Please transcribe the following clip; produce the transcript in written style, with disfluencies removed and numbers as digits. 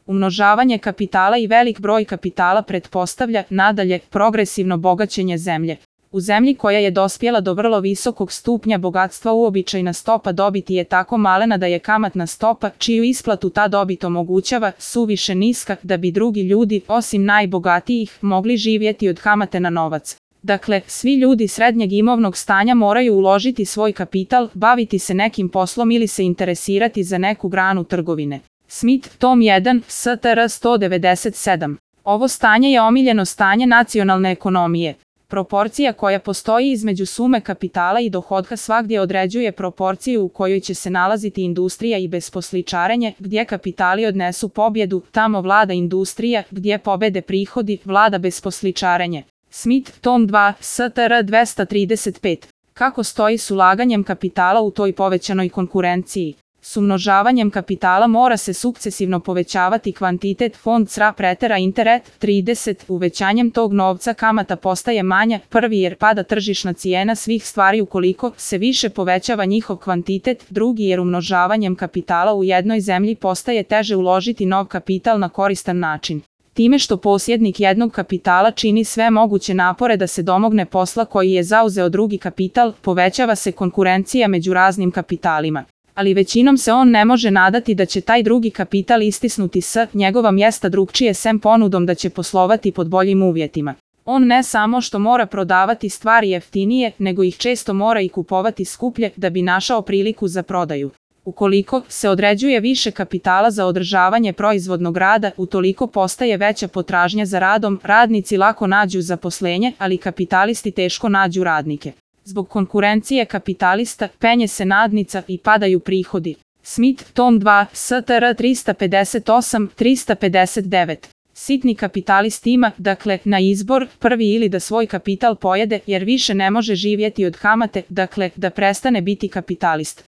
Umnožavanje kapitala i velik broj kapitala pretpostavlja, nadalje, progresivno bogaćenje zemlje. U zemlji koja je dospjela do vrlo visokog stupnja bogatstva uobičajena stopa dobiti je tako malena da je kamatna stopa, čiju isplatu ta dobit omogućava, suviše niska da bi drugi ljudi, osim najbogatijih, mogli živjeti od kamate na novac. Dakle, svi ljudi srednjeg imovnog stanja moraju uložiti svoj kapital, baviti se nekim poslom ili se interesirati za neku granu trgovine. Smith, tom 1, STR 197. Ovo stanje je omiljeno stanje nacionalne ekonomije. Proporcija koja postoji između sume kapitala i dohotka svagdje određuje proporciju u kojoj će se nalaziti industrija i besposličarenje, gdje kapitali odnesu pobjedu, tamo vlada industrija, gdje pobede prihodi, vlada besposličarenje. Smith, tom 2, STR 235. Kako stoji s ulaganjem kapitala u toj povećanoj konkurenciji? S umnožavanjem kapitala mora se sukcesivno povećavati kvantitet, fond sra pretera interet, 30, uvećanjem tog novca kamata postaje manja, prvi jer pada tržišna cijena svih stvari ukoliko se više povećava njihov kvantitet, drugi jer umnožavanjem kapitala u jednoj zemlji postaje teže uložiti nov kapital na koristan način. Time što posjednik jednog kapitala čini sve moguće napore da se domogne posla koji je zauzeo drugi kapital, povećava se konkurencija među raznim kapitalima. Ali većinom se on ne može nadati da će taj drugi kapital istisnuti s njegova mjesta drugčije sem ponudom da će poslovati pod boljim uvjetima. On ne samo što mora prodavati stvari jeftinije, nego ih često mora i kupovati skuplje da bi našao priliku za prodaju. Ukoliko se određuje više kapitala za održavanje proizvodnog rada, utoliko postaje veća potražnja za radom, radnici lako nađu zaposlenje, ali kapitalisti teško nađu radnike. Zbog konkurencije kapitalista penje se nadnica i padaju prihodi. Smith, tom 2, STR 358-359. Sitni kapitalist ima, dakle, na izbor, prvi ili da svoj kapital pojede jer više ne može živjeti od kamate, dakle, da prestane biti kapitalist.